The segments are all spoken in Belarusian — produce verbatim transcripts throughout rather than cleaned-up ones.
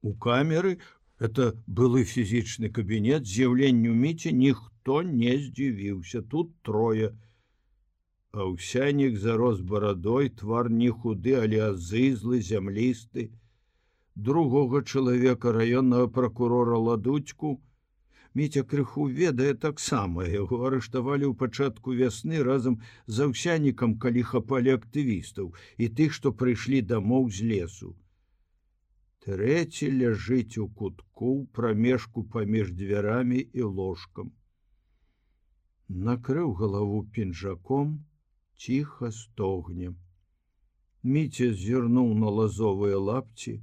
У камеры, это былы фізічны кабінет, з'яўленню Міці ніхто не здзівіўся. Тут трое. Аўсянік зарос барадой, твар не худы, але азызлы, зямлісты. Другога чалавека, раённага пракурора Ладуцьку, Міця крыху ведае таксама. Яго арыштавалі ў пачатку вясны разам з Аўсянікам, калі хапалі актывістаў і тых, што прыйшлі дамоў з лесу. Трэці ляжыць у кутку ў прамежку паміж дзвярамі і ложкам. Накрыў галаву пінжаком, ціха стогне. Міця зірнуў на лазовыя лапці,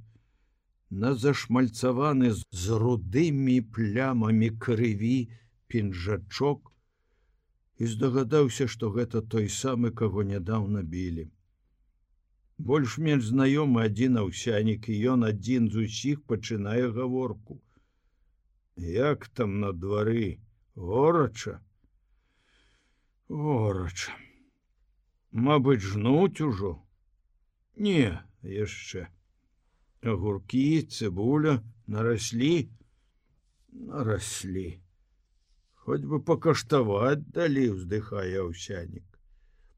на зашмальцаваны з рудымі плямамі крыві пінжачок і здагадаўся, што гэта той самы, каго нядаўна білі. Больш-менш знаёмы адзін Аўсянік, і ён адзін з усіх пачынае гаворку. Як там на двары? Горача? Горача. Мабыць, жнуць ужо? Не, яшчэ. Агуркі, цыбуля нараслі? Нараслі. Хоць бы пакаштаваць далі, уздыхае Аўсянік.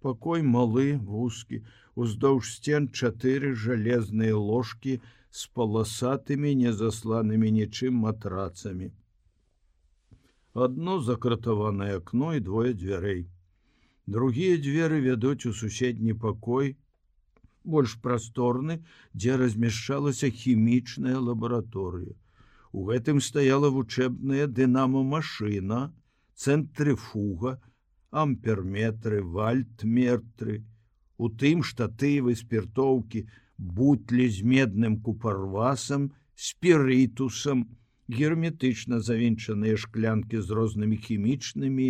Пакой малы, вузкі, уздоўж сцен чатыры жалезныя ложкі з паласатымі, незасланымі нічым матрацамі. Адно закратаванае акно і двое дзвярэй. Другія дзверы вядуць у суседні пакой, больш прасторны, дзе размяшчалася хімічная лабараторыя. У гэтым стаяла вучэбная дынамамашына, цэнтрыфуга, амперметры, вальтметры, у тым штатывы, спіртоўкі, бутлі з медным купарвасам, спірытусам, герметычна завінчаныя шклянкі з рознымі хімічнымі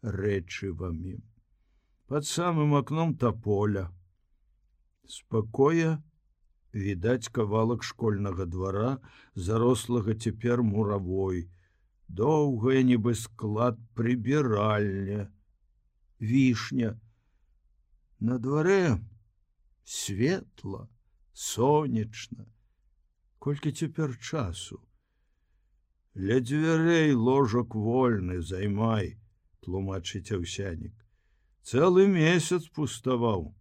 рэчывамі. Пад самым акном таполя. З пакоя відаць кавалак школьнага двара, зарослага цяпер муравой, доўгая нібы склад прыбіральня, вішня. На дварэ светла, сонечна. Колькі цяпер часу? Ля дзвярэй ложак вольны, займай, тлумачыць Аўсянік. Цэлы месяц пуставаў.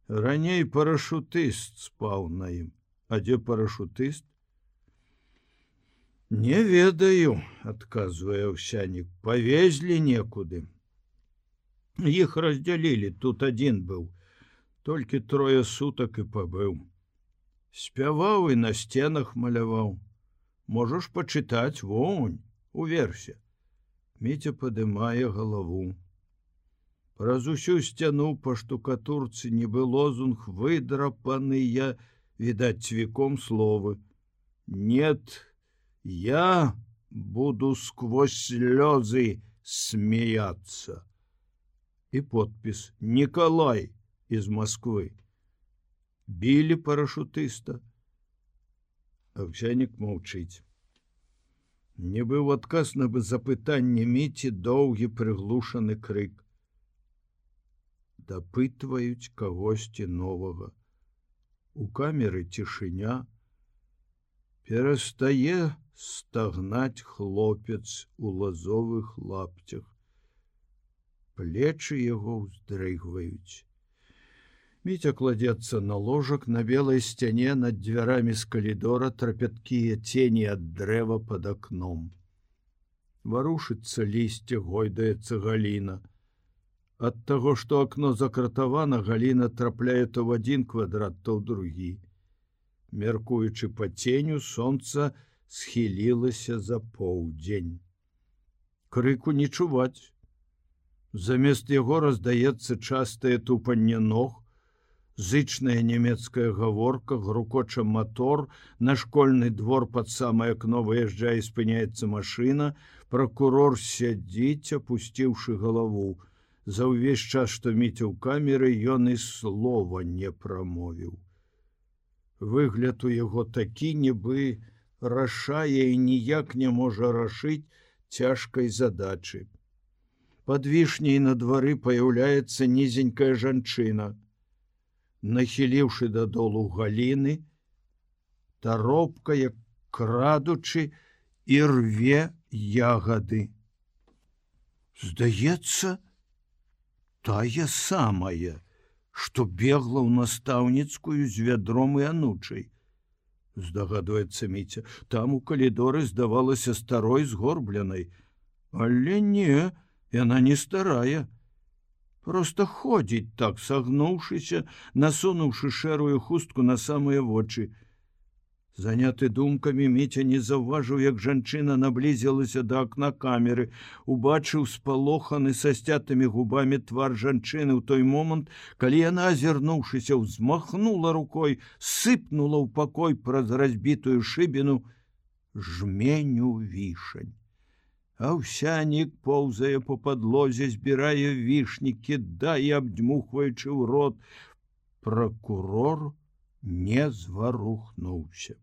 Раней парашутыст спаў на ім. А дзе парашутыст? Не ведаю, адказвае Аўсянік. Павезлі некуды. Іх раздзялілі, тут адзін быў. Толькі трое сутак і пабыў. Спяваў і на сценах маляваў. Можаш пачытаць, вонь, уверсе. Міця падымае галаву. Праз усю сцяну па штукатурцы нібы лозунг выдрапаныя, відаць цвіком словы. Нет, я буду сквозь слёзы смеяться. І подпіс Николай из Москвы. Білі парашутыста. Аўсянік маўчыць. Нібы ў адказ на запытанне Міці доўгі прыглушаны крык. Дапытваюць кагосьці новага. У камеры цішыня. Перастае стагнаць хлопец у лазовых лапцях. Плечы яго ўздрыгваюць. Міця кладзецца на ложак, на белай сцяне над дзвярамі з калідора трапяткія цені ад дрэва пад акном. Варушыцца лісце, гойдаецца галіна. Ад таго, што акно закратавана, галіна трапляе то ў адзін квадрат, то ў другі. Мяркуючы па ценю, сонца схілілася за поўдзень. Крыку не чуваць. Замест яго раздаецца частае тупанне ног, зычная нямецкая гаворка, грукоча мотор, на школьны двор пад самае акно выязджае і спыняецца машына, пракурор сядзіць, апусціўшы галаву. За ўвесь час, што Міця ў камеры, ён і слова не прамовіў. Выгляд у яго такі, нібы рашае і ніяк не можа рашыць цяжкай задачы. Пад вішняй на двары паяўляецца нізенькая жанчына. Нахіліўшы дадолу галіны, таропка, як крадучы, і рве ягады. Здаецца, тая самая, што бегла ў настаўніцкую з вядром і анучай. Здагадваецца Міця, там у калідоры здавалася старой згорбленай. Але не, яна не старая. Проста ходзіць так, сагнуўшыся, насунуўшы шэрую хустку на самыя вочы. Заняты думкамі, Міця не заўважыў, як жанчына наблізілася да акна камеры, убачыў спалоханы са сцятымі губамі твар жанчыны ў той момант, калі яна, азірнуўшыся, ўзмахнула рукой, сыпнула ў пакой праз разбітую шыбіну жменю вішань. Аўсянік поўзае по падлозе, збірае вішні, кідае, абдзьмухваючы ў рот. Пракурор не зварухнуўся.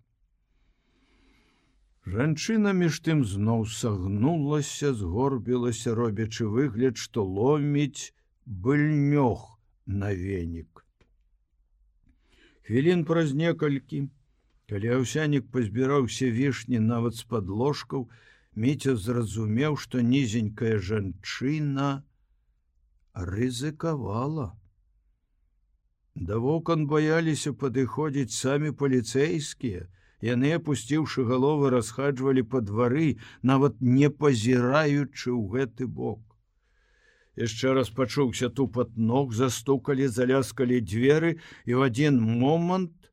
Жанчына між тым зноў сагнулася, згорбілася, робячы выгляд, што ломіць быльнёг на венік. Хвілін праз некалькі, калі Аўсянік пазбіраўся вішні нават з-пад ложкаў, Міця зразумеў, што нізенькая жанчына рызыкавала. Да вокон баяліся падыходзіць самі паліцэйскія. Яны, апусціўшы галовы, расхаджвалі па двары, нават не пазіраючы ў гэты бок. Яшчэ раз пачуўся тупат ног, застукалі, заляскалі дзверы, і ў адзін момант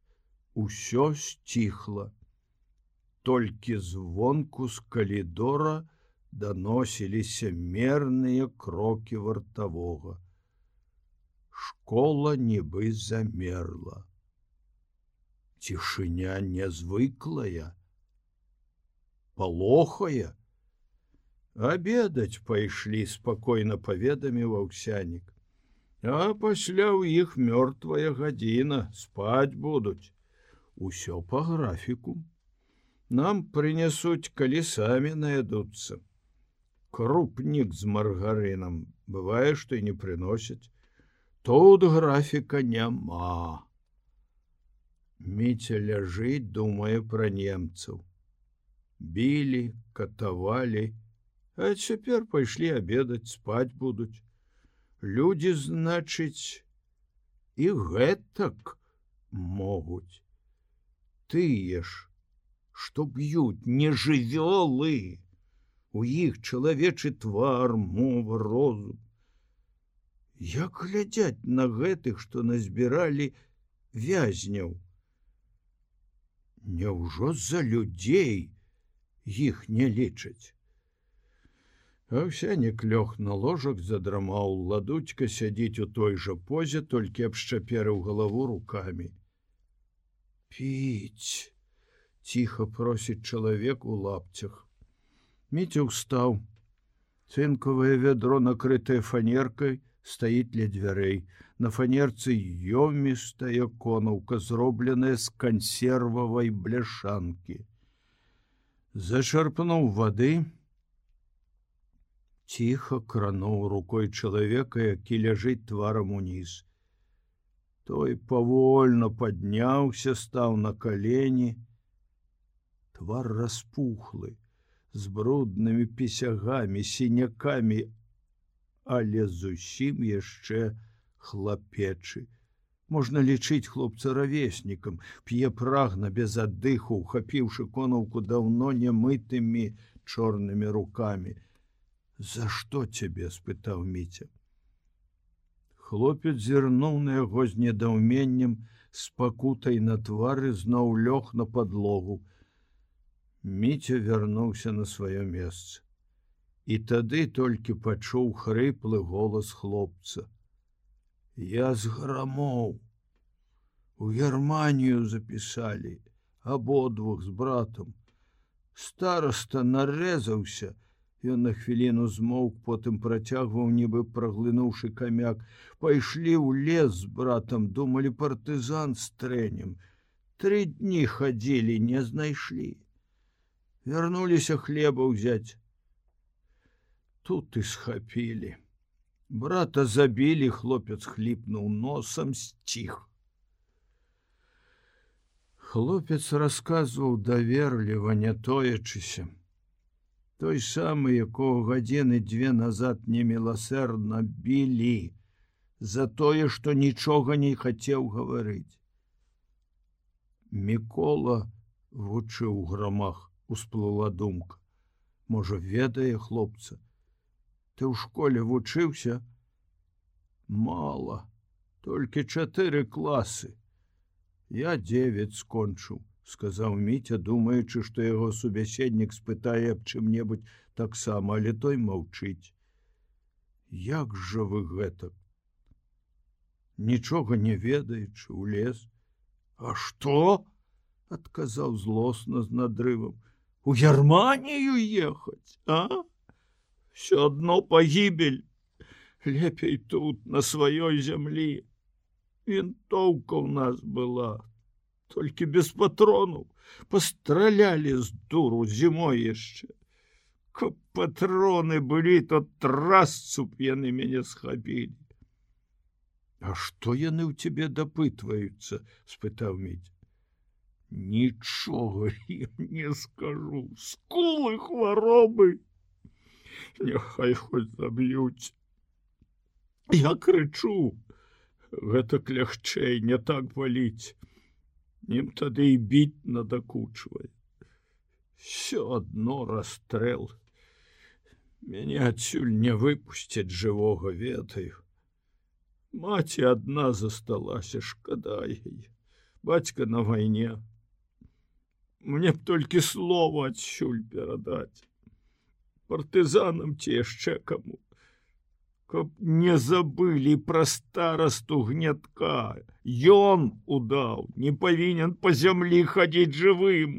усё сціхла. Толькі звонку з калідора даносіліся мерныя крокі вартавога. Школа нібы замерла. Цішыня нязвыклая, палохая. Абедаць пайшлі, спакойна паведаміў Аўсянік. А пасля ў іх мёртвая гадзіна, спаць будуць. Усё па графіку. Нам прынясуць, калі самі наядуцца. Крупнік з маргарынам, бывае, што і не прыносяць. Тут графіка няма. Міця ляжыць, думае пра немцаў. Білі, катавалі, а цяпер пайшлі абедаць, спаць будуць. Людзі, значыць, і гэтак могуць. Тыя ж, што б'юць, не жывёлы. У іх чалавечы твар, мова, розум. Як глядзяць на гэтых, што назбіралі вязняў? Няўжо за людзей іх не лічаць? Аўсянік лёг на ложак, задрамаў. Ладуцька сядзіць у той жа позе, толькі абшчаперыў галаву рукамі. Піць, ціха просіць чалавек у лапцях. Міця ўстаў. Цынкавае вядро, накрытае фанеркай, стаіць ля дзвярэй. На фанерцы ёмістая конаўка, зробленая з кансервавай бляшанкі. Зачарпнуў вады, ціха крануў рукой чалавека, які ляжыць тварам уніз. Той павольна падняўся, стаў на калені. Твар распухлы, з бруднымі пісягамі, сінякамі, але зусім яшчэ хлапечы. Можна лічыць хлопца равеснікам, п'е прагна, без аддыху, ухапіўшы конаўку даўно немытымі чорнымі рукамі. За што цябе? — спытаў Міця. Хлопец зірнуў на яго з недаўменнем, з пакутай на твары, зноў лёг на падлогу. Міця вярнуўся на сваё месца. І тады толькі пачуў хрыплы голас хлопца. Я з Грамоў. У Германію запісалі, абодвух з братам. Стараста нарэзаўся. Ён на хвіліну змоўк, потым працягваў, нібы праглынуўшы камяк. Пайшлі ў лес з братам, думалі, партызан стрэнем. Тры дні хадзілі, не знайшлі. Вярнуліся хлеба ўзяць. Тут і схапілі. Брата забілі, хлопец хліпнуў носам, сціх. Хлопец расказваў даверліва, не тоячыся. Той самы, якого гадзіны дзве назад неміласэрна білі за тое, што нічога не хацеў гаварыць. Мікола вучыў грамах, усплыла думка. Можа, ведае хлопца. Ты ў школе вучыўся? Мала, толькі чатыры класы. Я дзевяць скончыў, сказаў Міця, думаючы, што яго субяседнік спытае аб чым-небудзь таксама, але той маўчыць. Як жа вы гэтак? Нічога не ведаючы, у лес. А што? Адказаў злосна з надрывам. У Германію ехаць, а? Всё адно пагібель. Лепей тут, на сваёй зямлі. Вінтоўка ў нас была, толькі без патронаў. Пастралялі з дуру зімой яшчэ. Каб патроны былі, то трасцу б яны мяне схапілі. А што яны ў цябе дапытваюцца? Спытаў Міця. Нічога ім не скажу. Скулы, хваробы. Няхай хоць заб'юць. Я крычу. Гэтак лягчэй, не так баліць. Ім тады і біць надакучвае. Всё адно расстрэл. Мяне адсюль не выпусцяць жывога, ведаю. Маці адна засталася, шкада яе. Бацька на вайне. Мне б толькі слова адсюль перадаць. Партызанам ці яшчэ каму. Каб не забылі пра старасту Гнятка. Ён удаў, не павінен па зямлі хадзіць жывым.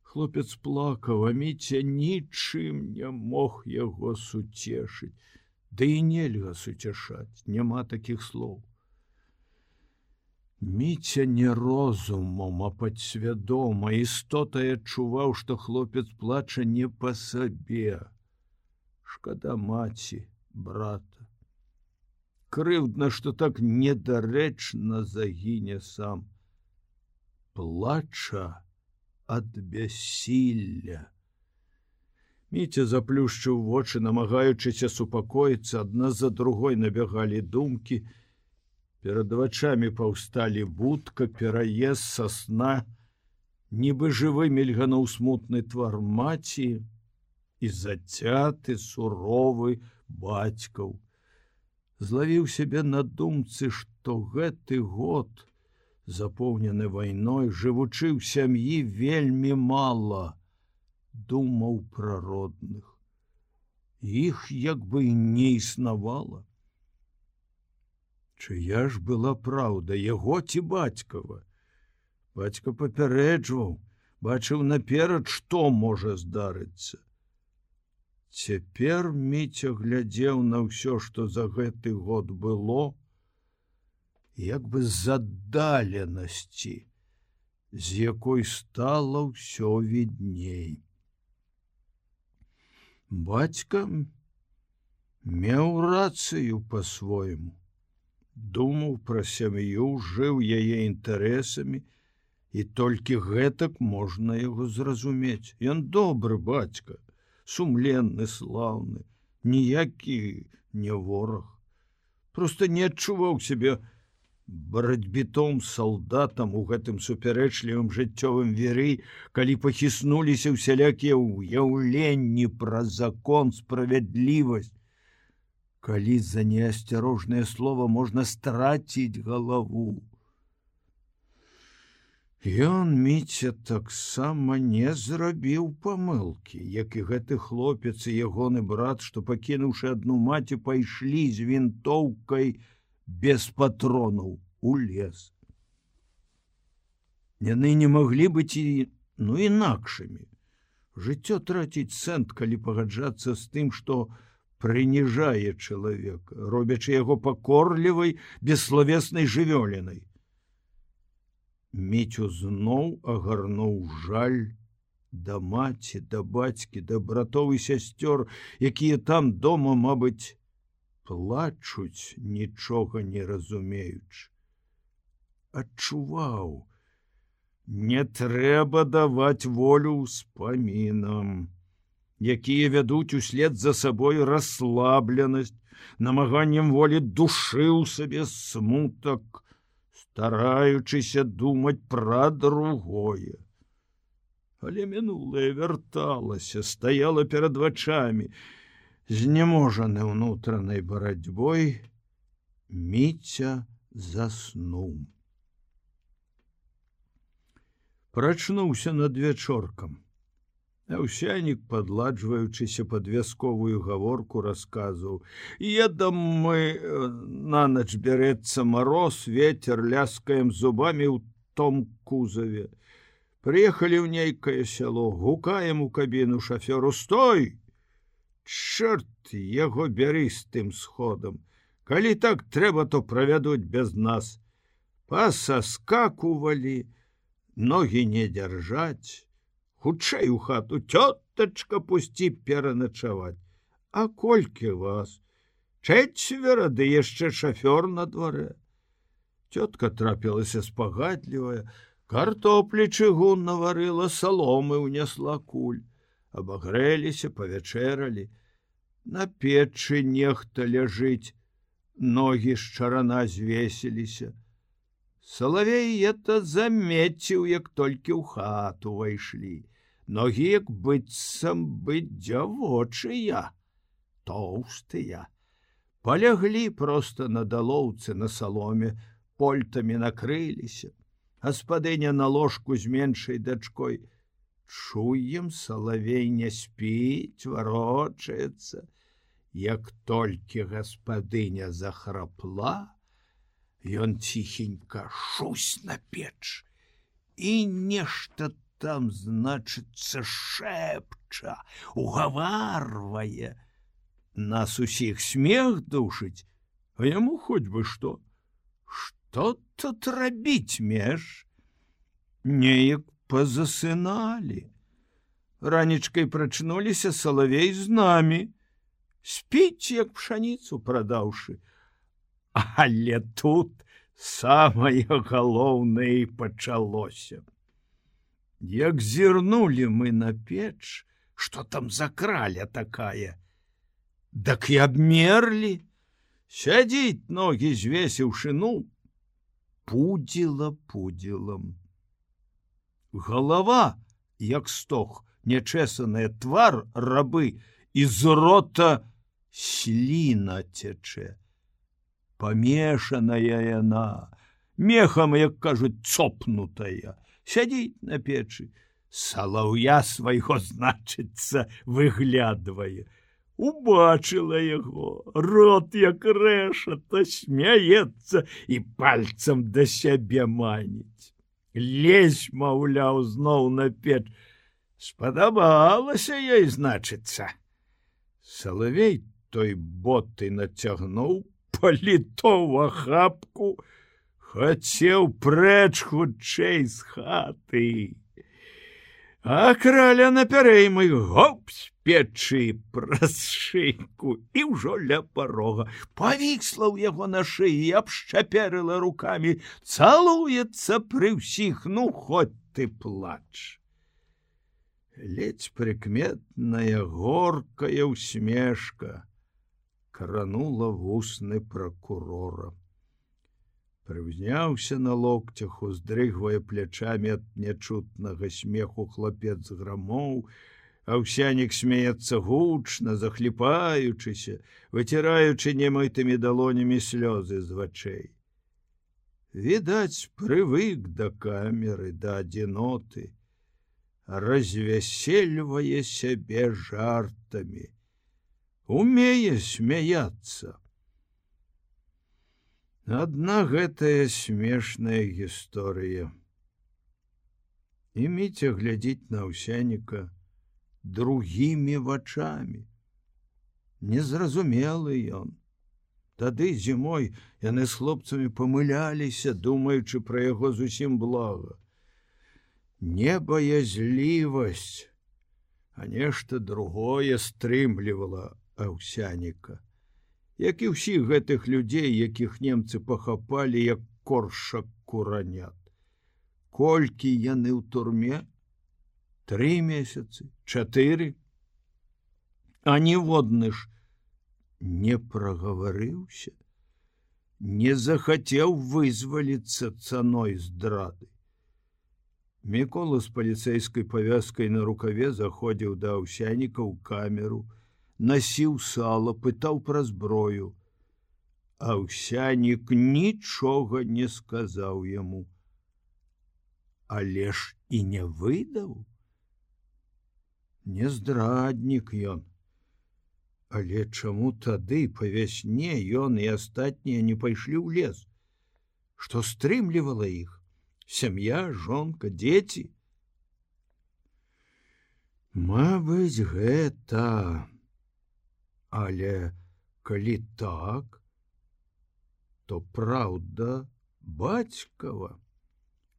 Хлопец плакаў, а Міця нічым не мог яго суцешыць. Ды і нельга суцяшаць, няма такіх слоў. Міця не розумам, а падсвядома, істотай адчуваў, што хлопец плача не па сабе. Шкада маці, брата. Крыўдна, што так недарэчна загіне сам. Плача ад бяссілля. Міця заплюшчыў вочы, намагаючыся супакоіцца, адна за другой набягалі думкі. Перад вачамі паўсталі будка, пераезд са сна, нібы жывы мільгануў смутны твар маці і зацяты, суровы бацькаў. Злавіў сябе на думцы, што гэты год, запоўнены вайной, жывучы ў сям'і, вельмі мала думаў пра родных. Іх як бы і не існавала. Чыя ж была праўда, яго ці бацькава? Бацька папярэджваў, бачыў наперад, што можа здарыцца. Цяпер Міця глядзеў на ўсё, што за гэты год было, як бы з аддаленасці, з якой стала ўсё відней. Бацька меў рацыю па-свойму. Думаў пра сям'ю, жыў яе інтарэсамі, і толькі гэтак можна яго зразумець. Ён добры бацька, сумленны, слаўны, ніякі не вораг. Проста не адчуваў сябе барацьбітом салдатам у гэтым супярэчлівым жыццёвым віры, калі пахіснуліся ўсялякія ўяўленні пра закон, справядлівасць. Калі за неасцярожнае слова можна страціць галаву. Ён, Міця, таксама не зрабіў памылкі, як і гэты хлопец і ягоны брат, што, пакінуўшы адну маці, пайшлі з вінтоўкай без патронаў у лес. Яны не маглі быць і, ну, інакшымі. Жыццё траціць сэнс, калі пагаджацца з тым, што прыніжае чалавека, робячы яго пакорлівай, бесславеснай жывёлінай. Міцю зноў агарнуў жаль да маці, да бацькі, да братоў і сясцёр, якія там дома, мабыць, плачуць, нічога не разумеючы. Адчуваў, Не трэба даваць волю ўспамінам, якія вядуць услед за сабой расслабленасць, намаганнем волі душы ў сабе смутак, стараючыся думаць пра другое. Але мінулае вярталася, стаяла перад вачамі, знеможаны ўнутранай барацьбой, Міця заснуў. Прачнуўся над вячоркам. Аўсянік, падладжваючыся пад вясковую гаворку, расказваў: «Едам мы, на ноч бярэцца мароз, ветер, ляскаем зубамі ў том кузаве. Прыехалі ў нейкае сяло, гукаем у кабіну шафёру: стой! Чорт яго бяры з тым сходам. Калі так трэба, то правядуць без нас. Пасаскакувалі, ногі не дзяржаць. Хутчэй у хату, цётачка, пусці пераначаваць. А колькі вас? Чэцвера, ды яшчэ шафёр на дварэ». Цётка трапілася спагадлівая, картоплі чыгун наварыла, саломы ўнесла куль. Абагрэліся, павячэралі. На печы нехта ляжыць, ногі з чарана звесіліся. Салавей это замеціў, як толькі ў хату ўвайшлі. Ногі, як быццам бы дзявочыя, тоўстыя. Паляглі проста на далоўцы на саломе, польтамі накрыліся. Гаспадыня на ложку з меншай дачкой. Чуем, Салавей не спіць, варочаецца. Як толькі гаспадыня захрапла, ён ціхенька шусь на печ і нешта там, значыцца, шэпча, угаварвае. Нас усіх смех душыць, а яму хоць бы што. Што тут рабіць меж? Неяк пазасыналі. Ранечкай прачнуліся, Салавей з намі. Спіць, як пшаніцу прадаўшы. Але тут самае галоўнае пачалося. Як зірнулі мы на печ, што там за краля такая, дак і абмерлі. Сядзіць, ногі звесіўшы, ну, пудзіла пудзілам. Галава, як стог, нечэсаная, твар рабы, і з рота сліна цячэ. Памешаная яна, мехам, як кажуць, цопнутая. Сядзіць на печы, салаўя свайго, значыцца, выглядвае. Убачыла яго, рот як рэшата, смяецца і пальцам да сябе маніць. Лезь, маўляў, зноў на печ. Спадабалася ёй, значыцца. Салавей той боты нацягнуў, паліто ў ахапку, хацеў прэч хутчэй з хаты. А краля напярэймы, гоп, з печы праз шыйку і ўжо ля парога. Павісла ў яго на шыі, абшчапярыла рукамі, цалуецца пры ўсіх, ну, хоць ты плач. Ледзь прыкметная горкая усмешка кранула вусны пракурора. Прыўзняўся на локцях, уздрыгвае плячамі ад нячутнага смеху хлапец грамоў. Аўсянік смеецца гучна, захліпаючыся, выціраючы немытымі далонямі слёзы з вачэй. Відаць, прывык да камеры, да адзіноты, развясельвае сябе жартамі, умее смяяцца. Адна гэтая смешная гісторыя. І Міця глядзіць на Аўсяніка другімі вачамі. Незразумелы ён. Тады зімой яны з хлопцамі памыляліся, думаючы пра яго зусім блага. Небаязлівасць, а нешта другое стрымлівала Аўсяніка, як і ўсіх гэтых людзей, якіх немцы пахапалі, як коршак куранят. Колькі яны ў турме? Тры месяцы, чатыры. А ніводны ж не прагаварыўся, не захацеў вызваліцца цаной здрады. Мікола з паліцэйскай павязкай на рукаве заходзіў да Аўсяніка ў камеру, насіў сала, пытаў пра зброю. Аўсянік нічога не сказаў яму. Але ж і не выдаў. Не здраднік ён. Але чаму тады па вясне ён і астатнія не пайшлі ў лес? Што стрымлівала іх? Сям'я, жонка, дзеці? Мабыць, гэта. Але калі так, то праўда бацькава.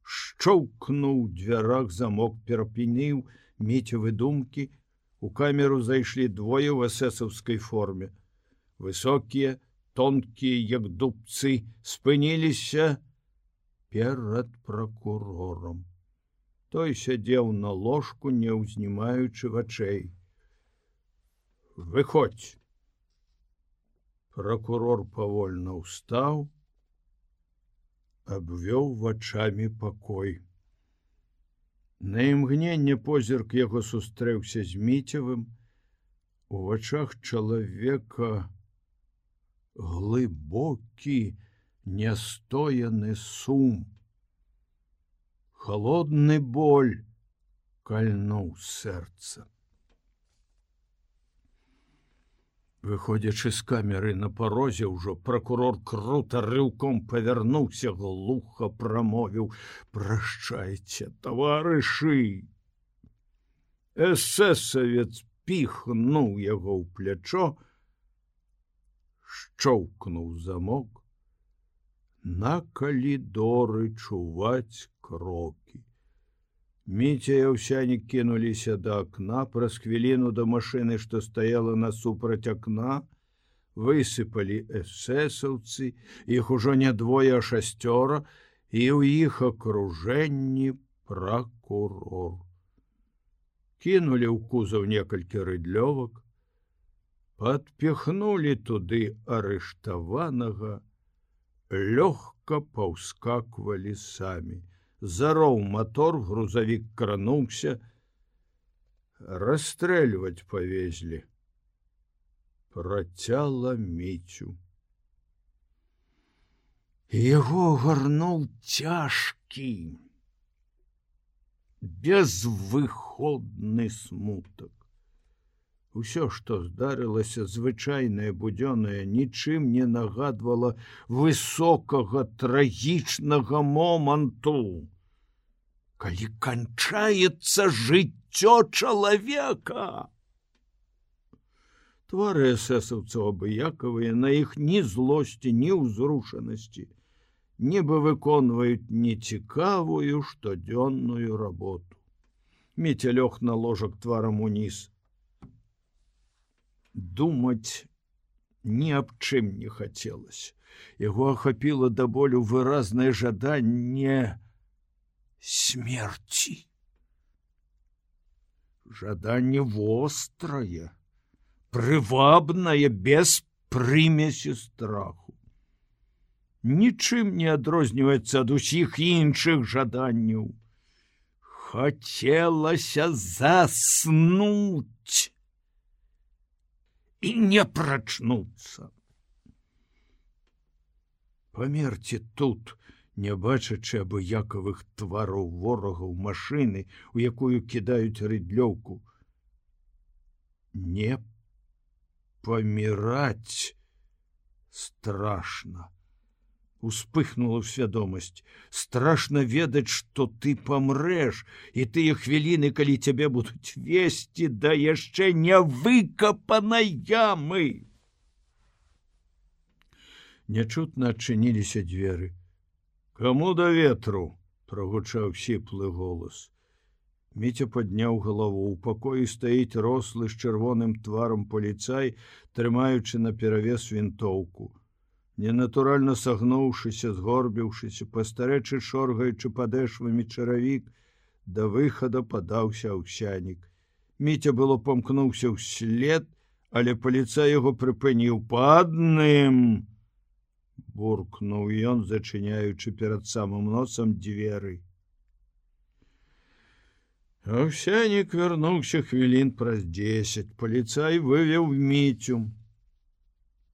Шчоўкнуў дзвярах замок, перапыніў Міцевы думкі. У камеру зайшлі двое ў эсэсаўскай форме. Высокія, тонкія, як дубцы, спыніліся перад пракурорам. Той сядзеў на ложку, не ўзнімаючы вачэй. Выходзь. Пракурор павольна ўстаў, абвёў вачамі пакой. На імгненне позірк яго сустрэўся з Міцевым. У вачах чалавека глыбокі, нястояны сум. Холодны боль кальнуў сэрца. Выходзячы з камеры на парозе, ўжо пракурор крута рыўком павярнуўся, глуха прамовіў: «Прашчайце, таварышы!» Эсэсавец піхнуў яго ў плячо, шчоўкнуў замок. На калідоры чуваць крокі. Міця і Аўсянік кінуліся да акна. Праз хвіліну да машыны, што стаяла насупраць акна, высыпалі эсэсаўцы. Іх ужо не двое, а шасцёра, і ў іх акружэнні пракурор. Кінулі ў кузаў некалькі рыдлёвак, падпіхнулі туды арыштаванага, лёгка паўскаквалі самі. Зароў мотор, грузавік крануўся. Расстрэльваць павезлі. Працяла Міцю. Яго гарнуў цяжкі, безвыходны смутак. Усё, што здарылася, звычайнае, будзёнае, нічым не нагадвала высокага, трагічнага моманту, калі канчаецца жыццё чалавека. Твары эсэсаўцаў абыякавыя, на іх ні злосці, ні ўзрушанасці, нібы выконваюць нецікавую штодзённую работу. Міця лёг на ложак тварам уніз. Думаць ні аб чым не хацелася. Яго ахапіла да болю выразнае жаданне смерці. Жаданне вострае, прывабнае, без прымесі страху. Нічым не адрозніваецца ад усіх іншых жаданняў. Хацелася заснуць і не прачнуцца. Памерці тут, не бачачы абыякавых твараў ворагаў, машыны, у якую кідаюць рыдлёўку. Не паміраць страшна. Успыхнула ў свядомасць. Страшна ведаць, што ты памрэш, і тыя хвіліны, калі цябе будуць весці да яшчэ не выкапанай ямы. Нячутна адчыніліся дзверы. «Каму да ветру?» – прагучаў сіплы голас. Міця падняў галаву. У пакоі стаіць рослы з чырвоным тварам паліцай, трымаючы наперавес вінтоўку. Ненатуральна сагнуўшыся, згорбіўшыся, пастарэчы шоргаючы падэшвамі чаравік, да выхада падаўся Аўсянік. Міця было памкнуўся ўслед, але паліцай яго прыпыніў. Па адным! Буркнуў ён, зачыняючы перад самым носам дзверы. Аўсянік вярнуўся хвілін праз дзесяць. Паліцай вывеў Міцю.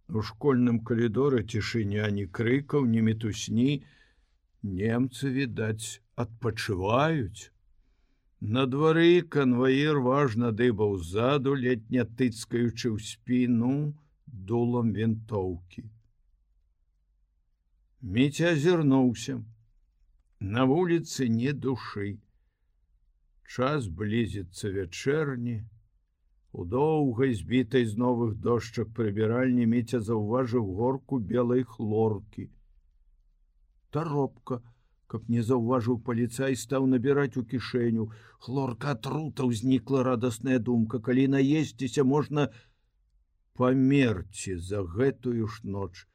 У школьным калідоры цішыня, ні крыкаў, ні мітусні. Немцы, відаць, адпачываюць. На двары канваір важна дыбаў ззаду, ледня тыцкаючы ў спіну дулам вінтоўкі. Міця азірнуўся. На вуліцы ні душы. Час блізіцца вячэрні. У доўгай, збітай з новых дошчак прыбіральні Міця заўважыў горку белай хлоркі. Таропка, каб не заўважыў паліцай, стаў набіраць у кішэню. Хлорка атрута, ўзнікла радасная думка. Калі наесціся, можна памерці за гэтую ж ноч.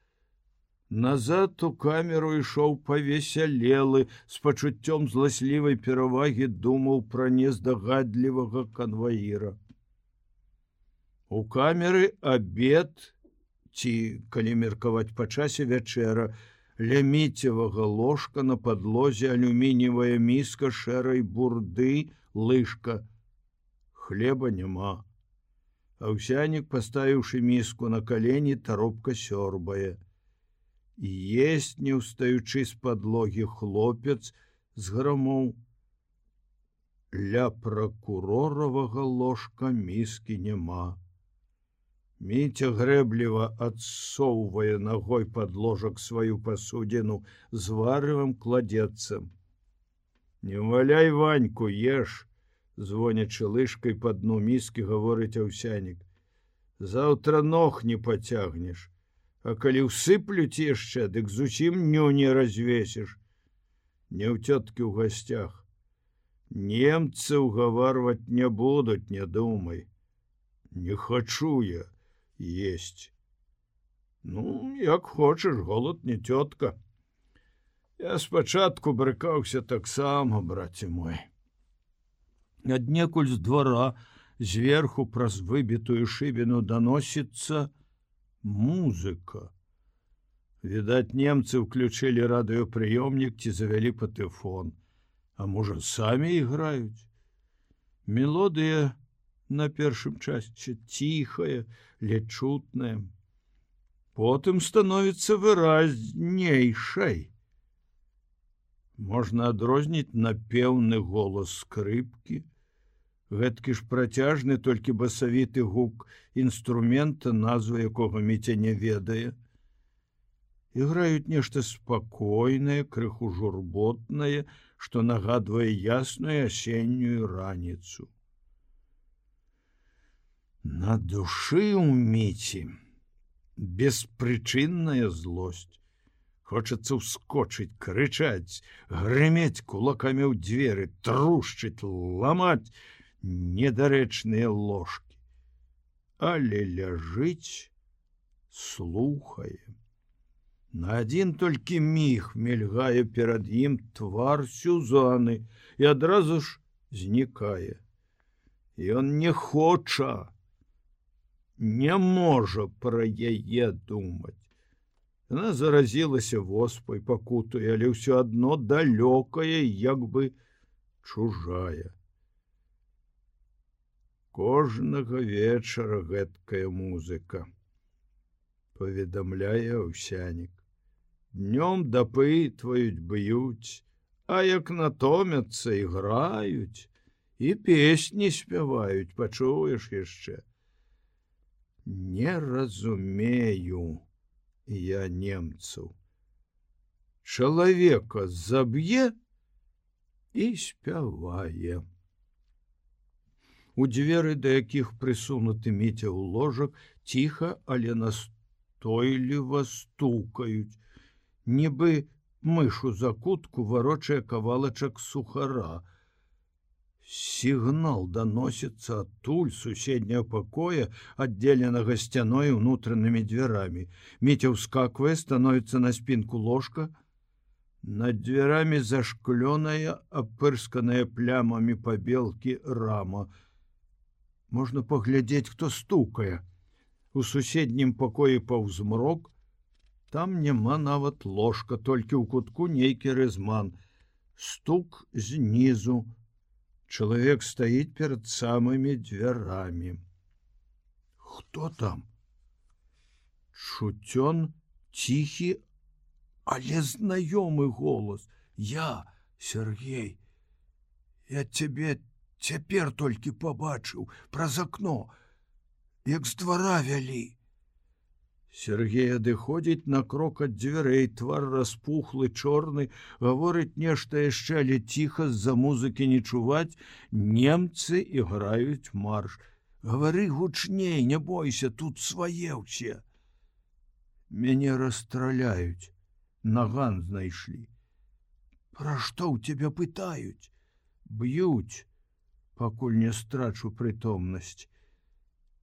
Назад у камеру ішоў павесялелы, з пачуццём зласлівай перавагі думаў пра нездагадлівага канваіра. У камеры абед, ці, калі меркаваць па часе, вячэра. Ля Міцевага ложка на падлозе алюмініевая міска шэрай бурды, лыжка. Хлеба няма. Аўсянік, паставіўшы міску на калені, таропка сёрбае. Есть, не ўстаючы з падлогі, хлопец зграмоў. Ля пракуроравага ложка міскі няма. Міця грэбліва адсоўвае ногой пад ложак сваю пасудзіну, з варывам кладецца. Не валяй Ваньку, еш, звонячы лыжкай па дну міскі, гаворыць Аўсянік. Заўтра ног не пацягнеш, а калі ўсыплюць яшчэ, дык зусім ню не развесіш. Не ў цёткі ў гасцях. Немцы ўгаварваць не будуць, не думай. Не хачу я есть. Ну, як хочаш, голод не тётка. Я спачатку брыкаўся таксама, браце мой. Аднекуль з двара, зверху праз выбітую шыбіну даносіцца музыка. Відаць, немцы ўключылі радыёпрыёмнік ці завялі патэфон. А можа, самі іграюць? Мелодыя на першым часці ціхая, лечутная. Потым становіцца выразнейшай. Можна адрозніць напеўны голас скрыпкі. Гэткі ж працяжны, толькі басавіты гук інструмента, назву якога Міця не ведае. Іграюць нешта спакойнае, крыху журботнае, што нагадвае ясную асеннюю раніцу. На душы ў Міці беспрычынная злосць. Хочацца ўскочыць, крычаць, грымець кулакамі ў дзверы, трушчыць, ламаць недарэчныя ложкі. Але ляжыць, слухае. На адзін толькі міг мільгае перад ім твар Сюзаны і адразу ж знікае. Ён не хоча, не можа пра яе думаць. Яна заразілася воспай, пакутуе, але ўсё адно далёкая, як бы чужая. Кожнага вечара гэткая музыка, паведамляе Аўсянік. Днём дапытваюць, б'юць, а як натомяцца, іграюць і песні спяваюць, пачуеш яшчэ. Не разумею я немцаў. Чалавека заб'е і спявае. У дзверы, да якіх прысунуты Міця ў ложак, ціха, але настойліва стукаюць. Нібы мыш у закутку варочае кавалачак сухара. Сігнал даносіцца адтуль суседняга пакоя, аддзеленага сцяной унутранымі дзвярамі. Міця ўскаквае, становіцца на спінку ложка. Над дзвярамі зашклёная, апырсканая плямамі пабелкі рама. Можна паглядзець, хто стукае. У суседнім пакоі паўзмрок. Там няма нават ложка, толькі ў кутку нейкі рэзман. Стук знізу. Чалавек стаіць перад самымі дзвярамі. Хто там? Чуцён ціхі, але знаёмы голас. Я, Сергей. Я цябе цяпер толькі пабачыў праз акно, як з двара вялі. Сергей адыходзіць на крок ад дзвярэй, твар распухлы, чорны, гаворыць нешта яшчэ, але ціха, з-за музыкі не чуваць. Немцы іграюць марш. Гавары гучней, не бойся, тут свае ўсе. Мяне расстраляюць. Наган знайшлі. Пра што ў цябе пытаюць? Б'юць, пакуль не страчу прытомнасць.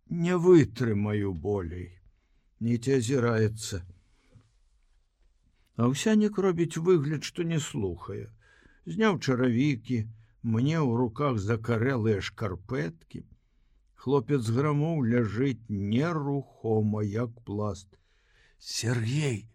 Не вытрымаю болей. Міця азіраецца. Аўсянік робіць выгляд, што не слухае. Зняў чаравікі, мне ў руках закарэлыя шкарпэткі. Хлопец грамоў ляжыць нерухома, як пласт. Сергей,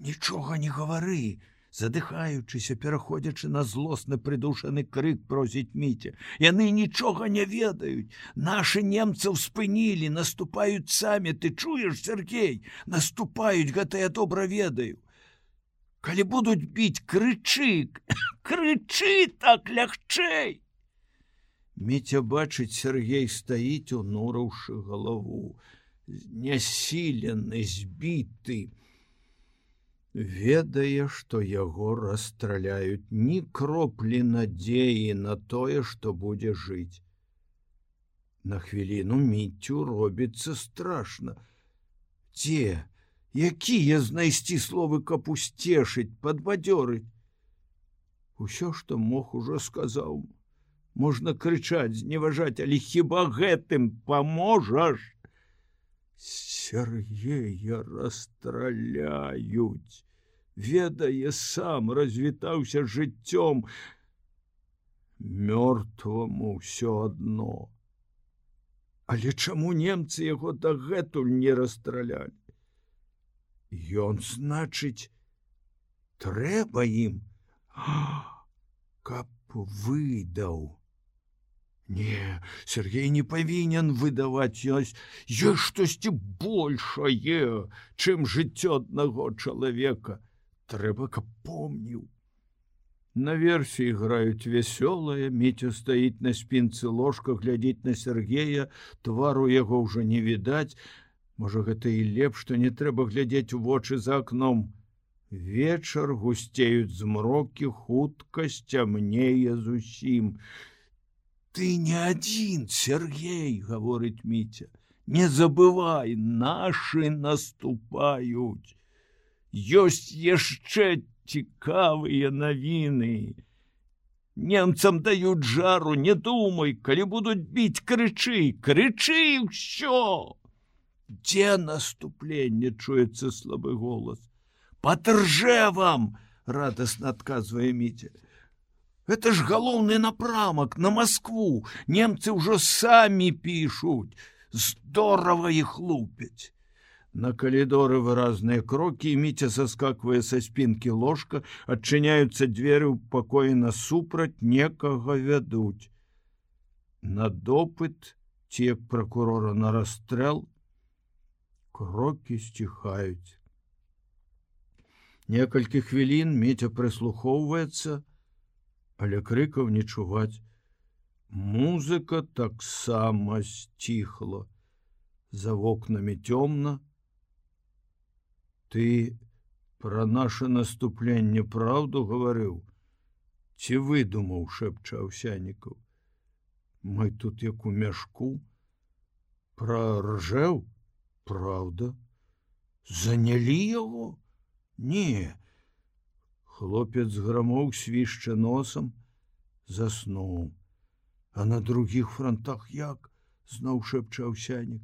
нічога не гавары, задыхаючыся, пераходзячы на злосны прыдушаны крык, просіць Міця. Яны нічога не ведаюць. Нашы немцаў спынілі, наступаюць самі. Ты чуеш, Сергей? Наступаюць, гэта я добра ведаю. Калі будуць біць, крычы, крычы так лягчэй. Міця бачыць, Сергей стаіць, унураўшы галаву, знясілены, збіты. Ведае, што яго расстраляюць, ні кроплі надзеі на тое, што будзе жыць. На хвіліну Міцю робіцца страшна. Дзе, якія знайсці словы, каб усцешыць, падбадзёрыць? Усё, што мог, ужо сказаў. Можна крычаць, зневажаць, але хіба гэтым паможаш? Сергея расстраляюць. Ведае сам, развітаўся жыццём. Мёртваму ўсё адно. Але чаму немцы яго дагэтуль не расстралялі? Ён, значыць, трэба ім, каб выдаў. Не, Сергей не павінен выдаваць, ёсць, ёсць штосьці большае, чым жыццё аднаго чалавека. Трэба, каб помніў. Наверсе іграюць вясёлае, Міця стаіць на спінцы ложка, глядзіць на Сергея, твару яго ўжо не відаць. Можа, гэта і лепш, што не трэба глядзець у вочы за акном. Вечар, гусцеюць змрокі, хутка сцямнее зусім. Ты не адзін, Сергей, гаворыць Міця. Не забывай, нашы наступаюць. Ёсць яшчэ цікавыя навіны. Немцам даюць жару, не думай, калі будуць біць, крычы, крычы ўсё. Дзе наступленне, чуецца слабы голас. Пад Ржевам, радасна адказвае Міця. Гэта ж галоўны напрамак на Маскву. Немцы ўжо самі пішуць. Здорава іх лупяць. На калідоры выразныя крокі, Міця саскаквае са спінкі ложка, адчыняюцца дзверы ў пакоі насупраць, некага вядуць. На допыт, ці як пракурора на расстрэл, крокі сціхаюць. Некалькі хвілін Міця прыслухоўваецца, але крыкаў не чуваць. Музыка таксама сціхла. За вокнамі цёмна. Ты пра наше наступленне праўду гаварыў? Ці выдумаў, шэпча Аўсянікаў. Мы тут як у мяшку. Пра Ржэў? Праўда. Занялі яго? Не. Хлопец грамоў, свішча носам, заснуў. А на другіх фронтах як? Зноў шэпча Аўсянік.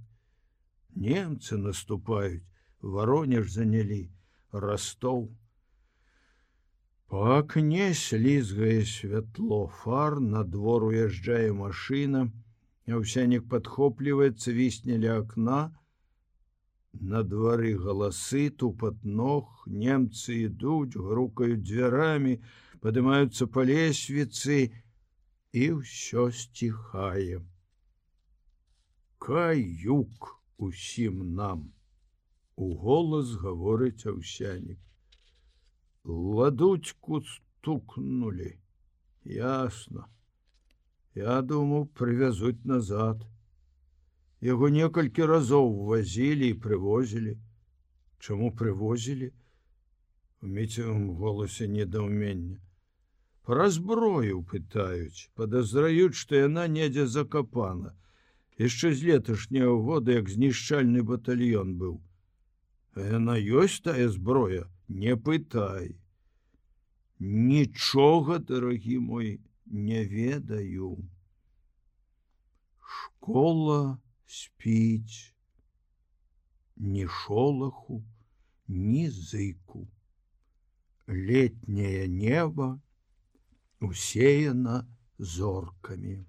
Немцы наступаюць, Воронеж занялі, Ростов. Па акне слізгае святло фар, на двор уязджае машына, Аўсянік падхоплівае, цвісне ля акна. На двары галасы, тупат ног, немцы ідуць, грукаюць дзвярамі, падымаюцца па лесвіцы, і ўсё сціхае. Каюк усім нам, уголас гаворыць Аўсянік. Ладучку стукнули. Ясно. Я думаў, прывязуць назад. Яго некалькі разоў возілі і прывозілі. Чаму прывозілі? У Міцевым голасе недаўмення. Пра зброю пытаюць, падазраюць, што яна недзе закапана. Яшчэ з леташняго года, як знішчальны батальён быў. А яна ёсць тая зброя? Не пытай. Нічога, дарагі мой, не ведаю. Школа спіць. Ні шолаху, ні зыку. Летняе неба усеяна зоркамі.